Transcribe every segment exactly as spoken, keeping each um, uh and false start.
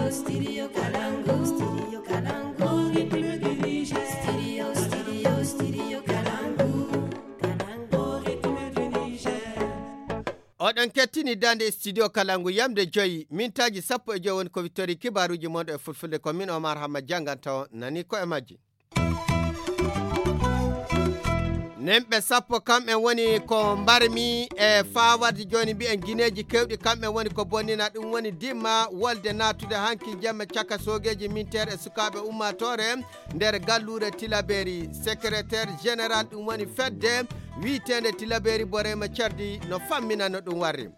Oɗon kettini dande studio Kalangu yamde joyi, mintaaji sappo e joyi woni ko wittori kibaaruuji mon e fulfulde. Ko min Omar Hamma jannganta on, nani ko e majji. Nemɓe sappo kamɓe woni ko mbarmi e faawarde jooni mbiyen gineeji kewɗi kamɓe woni ko bonnina ɗum woni dimma wolde naatude hanki jemma caka soogeeji minteer e sukaaɓe ummaatoore nder galluure Tilaberi. Secrétaire général ɗum woni fedde wiiteende Tilaberi Borema Cardi no fammina no ɗum warri.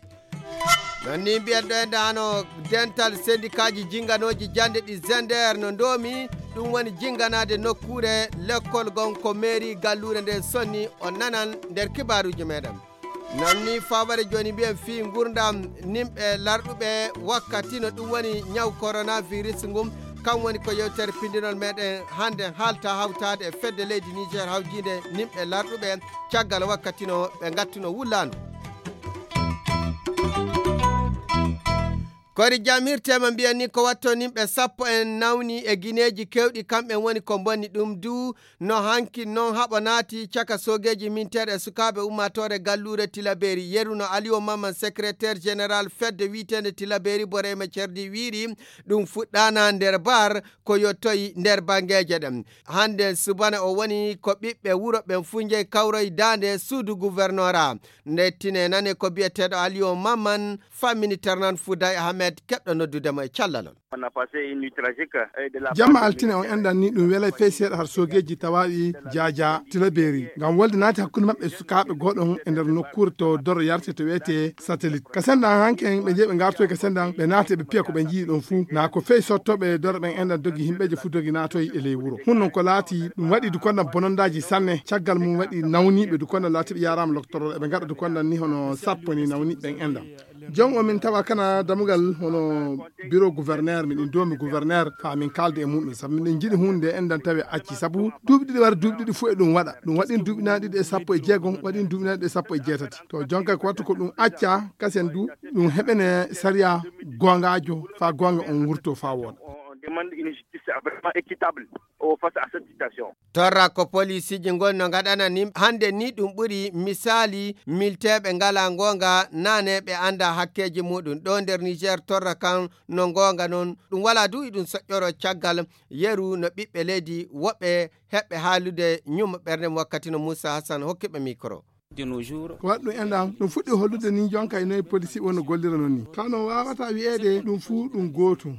Non ni mbiyen ɗo e ndano dental sendikaaji jinganooji jannde ɗi Zender no ndoomi ɗum woni jinganaade nokkuure lekkol gon ko mairie galluure nden sonni o nanan nder kibaaruuji meɗen. Non ni faware jooni mbiyen fii ngurdam nimɓe larɗuɓe wakkati no ɗum woni ñaw coronavirus ngun. Kan woni ko yewtere pindinol meɗen hannde haalta hawtaade e fedde leydi Niger hawjiinde nimɓe larɗuɓe caggal wakkati no ɓe ngattuno wullaandu. Kori jam hirtema mbiyan ni ko watto nimɓe sappo en nawni e gineeji kewɗi kamɓe woni ko mbonni ɗum du no hanki non haɓo naati caka soogeeji minteeɗe e sukaaɓe ummaatoore galluure Tilaberi. Yeru no Aliyo Mamman, secrétaire général fedde wiiteende Tilaberi Borema Cerdi wiiri ɗum fuɗɗaana nder bar ko yottoyi nder banngeeje ɗen. Hannde subana o woni ko ɓiɓɓe wuro ɓen fuu njehi kawroyi daande suudu gouvernorat. Nde tine nane ko biyeteeɗo Aliyo Mamman fammini Ternan Fouday Ahmed keɓɗo noddude mo e callalol. Jamma altine on enɗan ni ɗum welay fey seeɗa har soogeeji tawaaɗi jaaja Tilaberi ngam wolde naati hakkunde maɓɓe e sukaaɓe gooɗon e nder nokkuure to doro yarte to wiyetee Satelit. Ka sendan hanken ɓe jeyi ɓe ngartoyi ka sendan ɓe naati ɓe piya ko ɓe njii ɗon fuu. Na ko fey sottooɓe doro ɓen enɗan dogi himɓeeje fuu dogi naatoyi e ley wuro. Hun non ko laati ɗum waɗi dukondan bonondaaji sanne. Caggal mum waɗi nawniiɓe dukondan laati ɓe yaaraama loktorol eɓe ngaɗa dukondan ni hono sappo ni nawniiɓe ɓen enɗan. Jon o min tawa kana damugal hono bureau gouverneur, miɗen doomi gouverneur faa min kaalda e muɗum, sabu miɗen njiɗi huunde nde enɗan tawi acci, sabu duuɓi ɗiɗi wara duuɓi ɗiɗi fof e ɗum waɗa. Ɗum waɗin duuɓi naaɗi ɗiɗi e sappo e jeegom, waɗin duuɓi naaɗi ɗiɗi e sappo e jeetati. To jonka ko wattu ko ɗum acca, kasen du ɗum heɓene sariya goongaajo faa goonga on wurto faa wooɗa. On demande une justice vraiment équitable face à cette situation. Torra ko poliisiiji ngoni no ngaɗana ni hannde ni ɗum ɓuri misaali milteeɓe ngalaa ngoonga naane ɓe anndaa hakkeeji muɗum ɗo nder Niger torra kan no ngoonga non ɗum walaa du iɗum soƴƴoro caggal yeru no ɓiɓɓe leydi woɓɓe heɓɓe haalude ñumma ɓernde mum wakkati no Moussa Hassan hokki ɓe micro. Ko waɗi ɗum enɗan ɗum fuɗɗi hollude ni jonka e noye polisi wonno gollira non ni kano wawata wiyeede ɗum fuu ɗum gootum.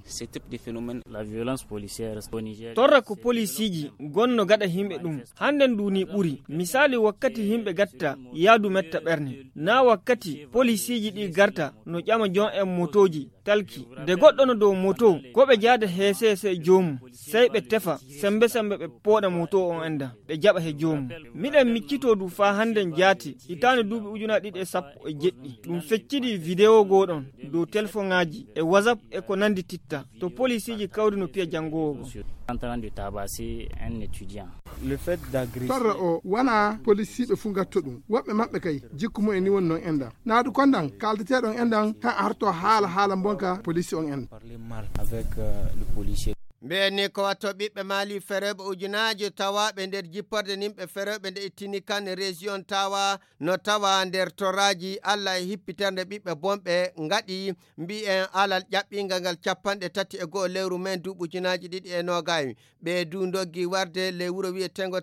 Torra ko polisiiji gonno gaɗa himɓe ɗum hannden duuni ɓuri misaali wakkati himɓe gatta yaadu metta ɓerne na wakkati polisiiji ɗi garta no ƴama jon en motooji talki de goɗɗo no dow moto ko ɓe jaada heeseese joomum sey ɓe tefa sembe sembe ɓe pooɗa moto on enda ɓe jaɓa he joomum. Miɗen miccitoo du faa hannden jaati hitaande duuɓi ujunaaji ɗiɗi e sappo e jeɗɗi ɗum feccidi videwo gooɗon dow telefoŋaaji e whatsapp e ko nanndi titta to polisiiji kawri no piya janngoowo go. Torra o wona polisiiɓe fuu ngatto ɗum woɓɓe maɓɓe kay jikku mumen ni woni noon enda naadu kondan kaaldeteeɗon endan han arto haala haala mbonka polisi on en. Mbiyen ni ko watto ɓiɓɓe maali fereeɓe ujunaaji tawaaɓe nder jipporde nimɓe fereeɓe nde ittini kan région tawa no tawa nder toraaji allah e hippiternde ɓiɓɓe bonɓe ngaɗi mbiyen alal ƴaɓɓingal ngal capanɗe tati e go'o lewru men duuɓi ujunaaji ɗiɗi e noogay. Ɓe du ndoggi warde ley wuro wiyetengo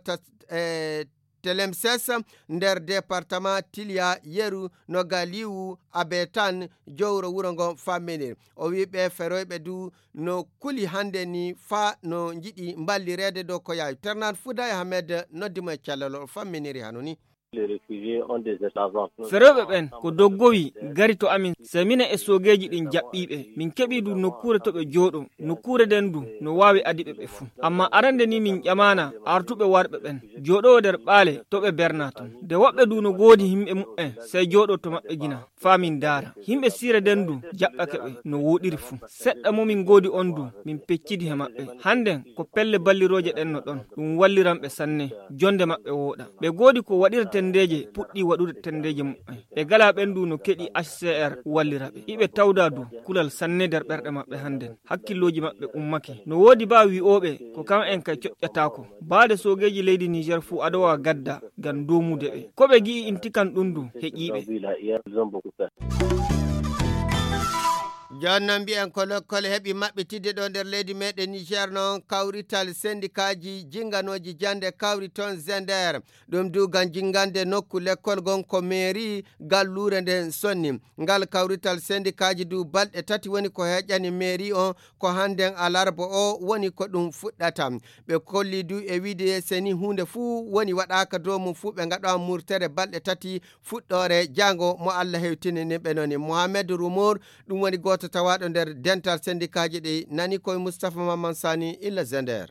e telemses nder departement tiliya yeru no galiwu abetan jowro wuro ngo famminir. O wi ɓe feroyɓe du no kuli hannde ni faa no njiɗi mballireede dow ko yaawi ternan fuday ahmed noddi mo e cellal o famminiri hano ni. Ferooɓe ɓen ko doggowi gari to amin semina e soogeeji ɗin jaɓɓiiɓe min keɓii du nokkuure to ɓe jooɗo. Nokkuure nden du no waawi adiɓe ɓe fuu. Amma arande ni min ƴamaana artuɓe warɓe ɓen jooɗowo nder ɓaale to ɓe bernaa ton. Nde woɓɓe du no goodi yimɓe muɓɓen sey jooɗo to maɓɓe gina faa min ndaara. Yimɓe siire nden du jaɓɓake ɓe no wooɗiri fuu. Seɗɗa mo min goodi on du min peccidi he maɓɓe. Hannden ko pelle ballirooje ɗen no ɗon ɗum walliran ɓe sanne. Jonde maɓɓe wooɗa. Ɓe goodi ko waɗirte. Tenndeeje puɗɗii waɗude tenndeeje mumen. Ɓe ngalaa ɓeen du no keɗii H C R wallira ɓe. Iɓe tawdaa du kulal sanne nder ɓerɗe maɓɓe hannden. Hakkillooji maɓɓe ummake. No woodi baa wi'ooɓe ko kam en kay coƴƴataako. Baade soogeeji leydi Niger fuu ado wa gadda ngam doomude ɓe. Ko ɓe ngi'i inti kan ɗum du heƴii ɓe. Jooni noon mbiyen ko lekkol heɓi maɓɓitidde ɗo nder leydi meɗen Niger noon kawrital sendikaaji jinganooji jannde kawri toon Zender. Ɗum du ngam jingande nokku lekkol ngon ko mairie galluure nden sonni. Ngal kawrital sendikaaji du balɗe tati woni ko heƴani mairie on ko hannden alarba o woni ko ɗum fuɗɗata. Ɓe kolli du e wiide seni huunde fuu woni waɗaaka dow mum fuu ɓe ngaɗa murtere balɗe tati fuɗɗoore jaango mo Allah hewtini ni ɓe noni. Mohamed Rumour, ɗum woni gooto tawaaɗo nder dental sendikaaji ɗi nani koye Moustapha Mamman Sani illa Zender.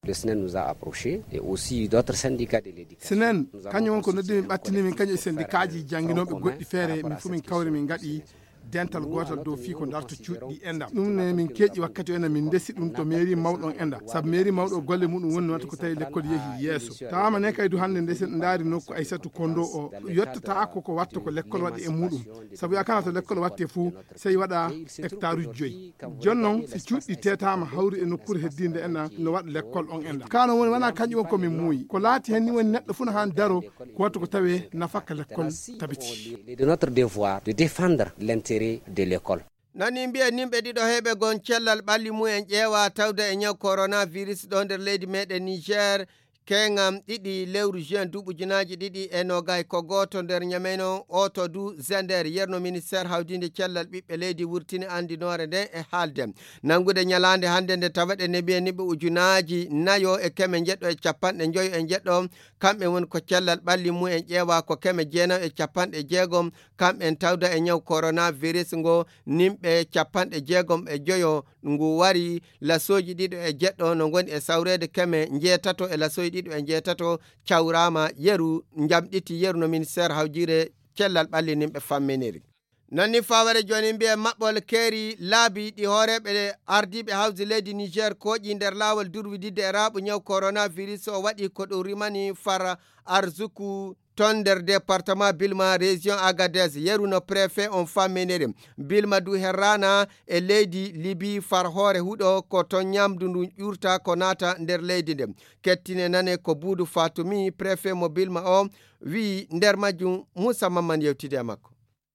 Le snen nous a approché et aussi d'autres syndicats de l'éducation. Senen kañum won ko noddi min ɓattini min kañum e sendikaaji jannginooɓe goɗɗi feere min fof min kawri min ngaɗi dental gootal dow fii ko darto cuuɗi ɗi enda. Ɗum ne min keeƴi wakkati o ena min ndesi ɗum to mairie mawɗo on enda. Sabu mairie mawɗo o golle muɗum woni wata ko tawi lekkol yehi yeeso. Tawaama ne kay du hannde ndesen ndaari nokku Aysatu Kondo o yottata ko ko watta ko lekkol waɗi e muɗum. Sabu yakana to lekkol watte fuu sey waɗa hectare uji joyi. Jooni noon si cuuɗi teetaama hawri e nokkuure heddiinde ena no waɗa lekkol on enda. Kano woni wona kañum on ko min muuyi. Ko laati hen ni woni neɗɗo fuu no haan daro ko watta ko tawe nafaka lekkol tabiti. De notre devoir de défendre l'intérêt de l'école. Nani mbiya nimɓe ɗiɗo heɓe gon cellal ɓalli mumen ƴeewa tawda e ñaw coronavirus ɗo nder leydi meɗen Niger. Keŋam ɗiɗi lewru juin duuɓi ujunaaji ɗiɗi e nogay ko gooto nder ñameno oto du Zender yerno ministère hawdinde cellal ɓiɓɓe leydi wurtini andinoore nden e haalde. Nanngude ñalaande hannde nde tawaɗe nebiye niɓe ujunaaji nayo e keme njeɗɗo e capanɗe njoyo e njeɗɗo, kamɓe woni ko cellal ɓalli mumen ƴeewa ko keme jeenayo e capanɗe jeegom, kamɓen tawda e ñaw coronavirus ngo, nimɓe capanɗe jeegom e joyo ngu wari, lasooji ɗiɗo e jeɗɗo no ngoni e sawreede keme njeetato e lasooji ɗiɗo e njeetato cawraama yeru, njamɗiti yeru no ministère hawjire cellal ɓalli nimɓe famminiri. Nani faware jooni mbiye maɓɓol keeri laabi ɗi hooreeɓe ardiiɓe hawji leydi Niger kooƴi nder laawol durwididde e raaɓu ñaw coronavirus o waɗi ko ɗum rimani far arzuku ton nder département Bilma, région Agadez, yeru no préfet on famminiri. Bilma du herrana e leydi Libi far hoore huɗo ko ton ñamdu ndu ƴurta ko naata nder leydi nde. Kettine nane ko Buudu Fatumi, préfet mo Bilma o, wi nder majjum Moussa Mamman yewtidi e makko.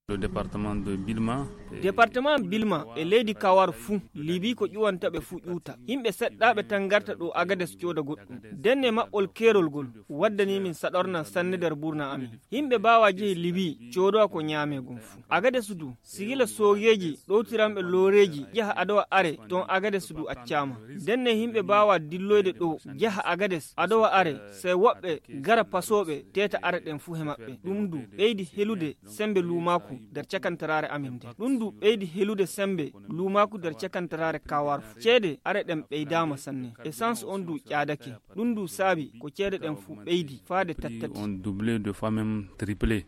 Le département de Bilma. Département Bilma e leydi Kawar fuu, Libi ko ƴuwanta ɓe fuu ƴuwta. Yimɓe seɗɗaaɓe tan ngarta ɗo Agades cooda goɗɗum. Denne maɓɓol keerol ngol waddani min saɗorna sanne nder burna amin. Yimɓe mbaawa jehi Libi coodowa ko ñaame gom fuu. Agades du, sigila soogeeji ɗowtiranɓe looreeji yaha adowa are ton Agades du accaama. Denne yimɓe mbaawa dilloyde ɗo yaha Agades adowa are, sey woɓɓe gara pasooɓe teeta are ɗen fuu he maɓɓe. Ɗum du ɓeydi helude sembe luumaaku nder cakantaraare amin nde. Ɗum du ɓeydi helude sembe luumaaku nder cakantaraare Kawar fuu. Ceede are ɗen ɓeydaama sanne. Essence on du ƴaadake. Ɗum du saabi ko ceede ɗen fuu ɓeydi faade tattati. On doublé, de fois même triplé.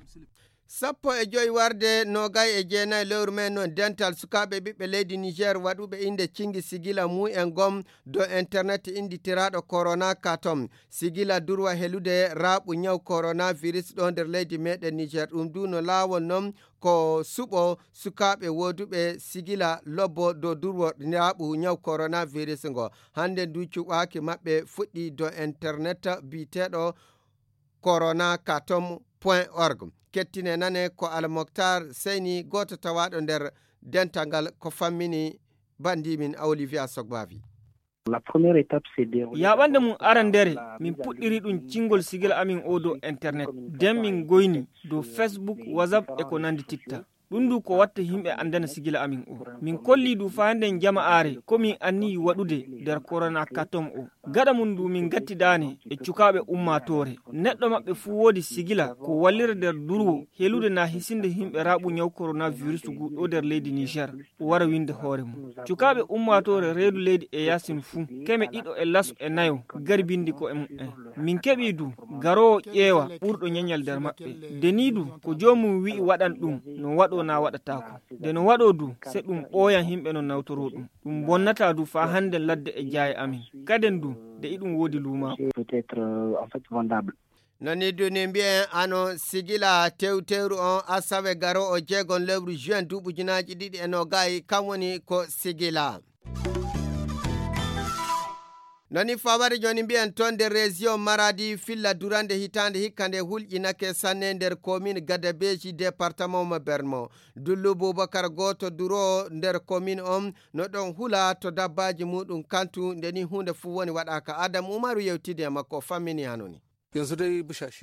Sappo e joyi warde nogay e jeenayi lewru men noon dental sukaaɓe ɓiɓɓe leydi Niger waɗuɓe innde cingi sigila mumen gom dow internet innditiraaɗo Corona Katom. Sigila durwa helude raaɓu ñaw coronavirus ɗo nder leydi meɗen Niger. Ɗum du no laawol noon ko suɓo sukaaɓe wooduɓe sigila lobbo dow durwo raaɓu ñaw coronavirus ngo. Hannde ndu cuɓaaki maɓɓe fuɗɗi dow internet biyeteeɗo corona katom point org. Kettine nane ko Almoktar Seyni, gooto tawaaɗo nder dental ngal, ko fammini banndimin Olivia Sogbavi. La première étape, c'est de... Yaaɓande mum arandere, min puɗɗiri ɗum cingol sigila amin o dow internet. Den min goyni dow Facebook, WhatsApp e ko nandititta. Ɗum du ko watta yimɓe andana sigila amin o. Min kolli du faa nden jama'aare ko min anniyi waɗude nder Corona Katom o. Gaɗa mum du min ngattidaane e cukaaɓe ummaatoore. Neɗɗo maɓɓe fuu woodi sigila ko wallira nder durwo helude naa hisinde yimɓe raaɓu ñaw coronavirus ngu ɗo nder leydi Niger. O wara winde hoore mum. Cukaaɓe ummaatoore reedu leydi e yaasin fuu, keme ɗiɗo e laso e nayo, gari bindi ko e mum'en. Min keɓii du garoowo ƴeewa ɓurɗo ñeñal nder maɓɓe. Nde nii du ko joomum wi'i waɗan ɗum, no waɗoo naa waɗataako. Nde no waɗoo du, se ɗum ɓooyan yimɓe no nawtoroo ɗum. Ɗum bonnataa du faa hannden ladde e jaaye amin. Kaden du, nde iɗum woodi luumaaku. Peut-être, euh, en fait, vendable. Nani duni mbiyen ano sigila tewtewru on asawe garo o jeegon lewru juin duuɓi ujunaaji ɗiɗi e nogayi, kam woni ko sigila. Nani fawade joni mbiyen ton nder région Maradi filla durande hitande hikka nde hulƴinake sanne nder commune Gadabeji département mo Bermo. Dullu Bubakar goto duro nder commune on no ɗon hula to dabbaji muɗum kantu nde ni hunde fu woni waɗaka. Adam Umaru yewtidi e makko fammini hanoni.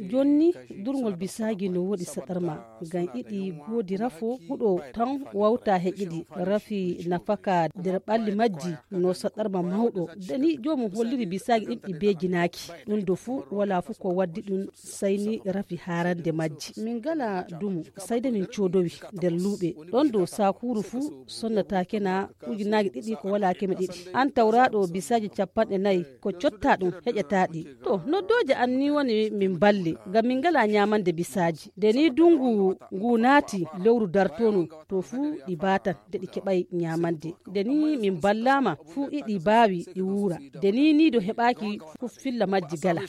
Jonni durngol bisaji no woɗi saɗarma ngam iɗi godi rafo huɗo tan wawta heƴiɗi rafi nafaka nder ɓalli majji no saɗarma mawɗo. Dani jomum holliri bisaji ɗin ɗi bejinaki ɗum do fuu wala fuu ko waddi ɗum sayni rafi harande majji. Min ngala dumu sayde min codowi nder luuɓe ɗon dow sakuru fuu sonnatake na ujunaaji ɗiɗi ko wala keme ɗiɗi. An tawraɗo bisaji capanɗe nayi ko cotta ɗum heƴata ɗi. To noddooje an ni woni min balle ngam min ngala ñamande bisaaji. Nde ni dungu ngu naati lewru dartonu to fuu ɗi batan nde ɗi keɓay ñamande. Nde ni min ballama fuu iɗi baawi ɗi wuura. Nde ni ni do heɓaaki fuu filla majji gala.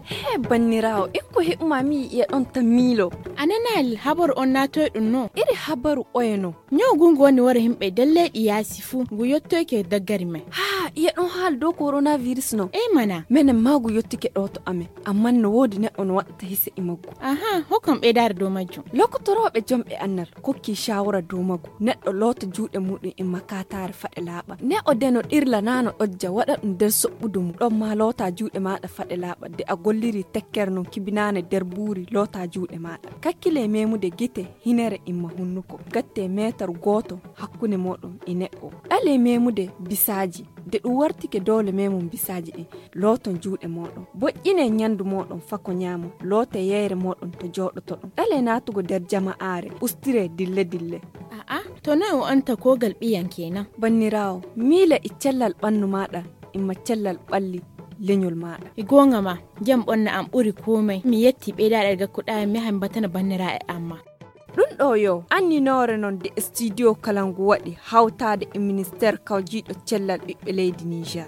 He banniraawo, en ko heɓuma mi yi'e ɗon tan miilo. A nanaali habaru on naatoy ɗum no? Iri habaru oye no? Ñaw ngu ngu woni wara yimɓe nder leyɗi yaasi fuu, ngu yottoyke daggari men. Haa, iye ɗon haala dow coronavirus no? Ey mana. Menen maa ngu yottike ɗo to amen, ammaa no woodi neɗɗo no waɗata hise e maggu. Aha, hokkam ɓeydaare dow majjum. Lokotorooɓe jomɓe annal kokki shawara dow maggu. Neɗɗo loota juuɗe muɗum e makataare faɗe laaɓa. Neɗɗo de no ɗirla naa no ɗojja waɗa ɗum nder soɓɓudu mum. Ɗon maa loota juuɗe maaɗa faɗe laaɓa. De a golliri tekkere non kibinaane nder buuri loota juuɗe maaɗa. Kakkile memude gite, hinere imma hunnuko. Gatte meetar gooto hakkunde mooɗon e neɗɗo. Ɗale memude bisaaji. De ɗum wartike doole memum bisaaji ɗin. Looton juuɗe mooɗon. Boƴƴine ñandu mooɗon fako ñaamo. Loote yeyre mooɗon to jooɗotoɗon. Ɗale naatugo nder jama'aare. Ustire dille dille. A'a, to noy o anta kogal ɓiyan kenan? Banniraawo, miila e cellal ɓannu maaɗa, imma cellal ɓalli leñol maaɗa. E goonga ma, jam ɓonna am ɓuri komai. Mi yetti ɓeydaɗe gakkuɗa mi yaha mi batana banniraaɓe amma. Ɗum ɗo yo anninoore non de studio kala ngu waɗi hawtaade e ministeer kawjiiɗo cellal ɓiɓɓe leydi Niger.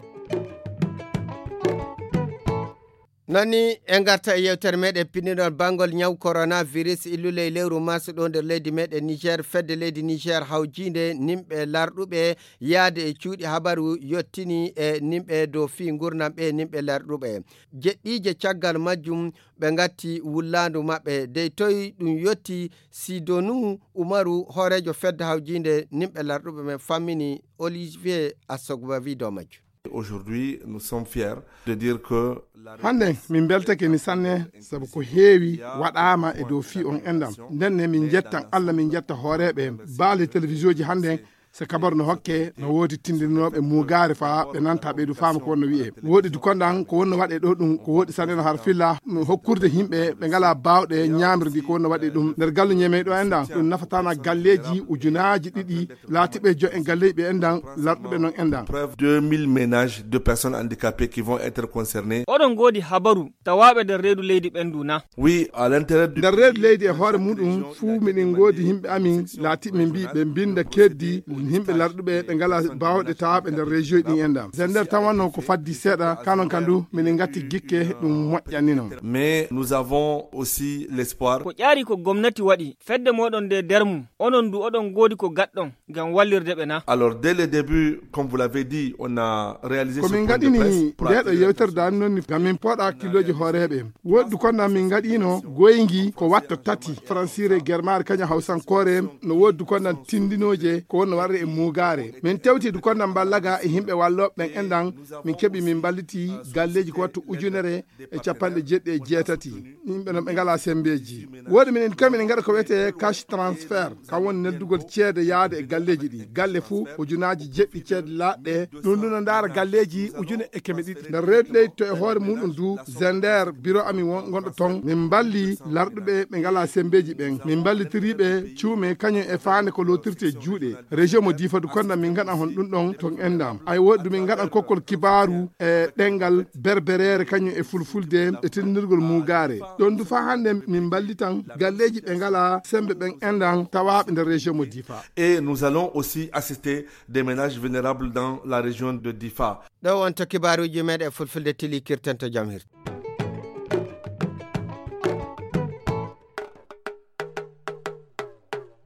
Nani en garta e yewtere meɗen pinndinol banngol ñaw coronavirus illule e lewru mars ɗo nder leydi meɗen Niger. Fedde leydi Niger hawjiinde nimɓe larɗuɓe yaade e cuuɗi habaru yottini e nimɓe dow fii ngurnam ɓe nimɓe larɗuɓe. Jeɗɗiije caggal majjum ɓe ngatti wullaandu maɓɓe dey toy ɗum yotti. Sidonu Umaru hooreejo fedde hawjiinde nimɓe larɗuɓe men fammini Olivier Assogbavi dow majjum. Aujourd'hui nous sommes fiers de dire que la Hannde min mbeltake ni sanne sabu ko heewi waɗaama e dow fii on enɗam. Ndenne min njettan Allah, min njetta hooreeɓe baale télévision ji hannde. Se kabar no hokke no woodi tindinooɓe muugaare faa ɓe nanta ɓeydu faama ko wonno wi'e. Woodi du kondan ko wonno waɗe ɗo ɗum ko woodi sanne no har filla hokkurde yimɓe ɓe ngala baawɗe ñaamirdi ko wonno waɗe ɗum nder gallu ñeemey ɗo enɗam. Ɗum nafatana galleeji ujunaaji ɗiɗi laatiɓe jo en galleeji ɓe enɗam larɗuɓe non enɗam. Preuve deux mille ménages de personnes handicapées qui vont être concernées. Oɗon ngoodi habaru tawaaɓe nder reedu leydi ɓen du na? Oui, à l'intérieur du Nder reedu leydi e hoore muɗum fuu miɗen ngoodi yimɓe amin laatiɓe min mbii ɓe mbinda keddi yimɓe larɗuɓe ɓe ngala baawɗe tawaaɓe nder région ɗin enɗam. Se nder tan wonno ko faddi seeɗa kanon kan du miɗen ngatti gikke ɗum moƴƴanino. Mais nous avons aussi l'espoir. Ko ƴaari ko gomnati waɗi fedde moɗon nde nder mum onon du oɗon ngoodi ko gaɗɗon ngam wallirde ɓe na? Alors dès le début, comme vous l'avez dit, on a réalisé ce point de presse. Ko min ngaɗini ndeɗo yewtere dani noon ni ngam min pooɗa hakkillooji hooreeɓe. Woodi du kondan min ngaɗino goyngi ko watto tati, fransiire, germaare kañum hawsankoore. No woodi du kondan tindinooje ko wonno warre e muugaare. Min tewti du kondan mballaga e yimɓe wallooɓe ɓen enɗan min keɓi min mballiti galleeji ko watto ujunere e capanɗe jeeɗiɗi e jeetati. Yimɓe non ɓe ngala sembeeji. Woodi minen kam minen ngaɗa ko wiyetee cash transfert, kam woni neldugol ceede yaade e galleeji ɗi. Galle fuu ujunaaji jeɗɗi ceede laaɗɗe. Ɗum ɗum no ndaara galleeji ujune e keme ɗiɗi. Nder reedu leydi to e hoore muɗum du, Zender, biro amin won gonɗo ton, min mballi larɗuɓe ɓe ngala sembeeji ɓen. Min mballitiriiɓe cuume kañum e faande ko lootirte juuɗe. Région Mo difa du konda min gaɗa hon ɗum ɗon ton endam. Ay woɗi du min gaɗa kokkol kibaru e ɗengal berberere kañum e fulfulde e tennirgol mugare. Ɗon du fa hande min ballitan galleji ɓe ngala sembe ɓen endan tawaɓe nder région mo difa. Et nous allons aussi assister des ménages vulnérables dans la région de Difa. Ɗo wonto kibaruji meɗen fulfulde tili kirten to jam hirti.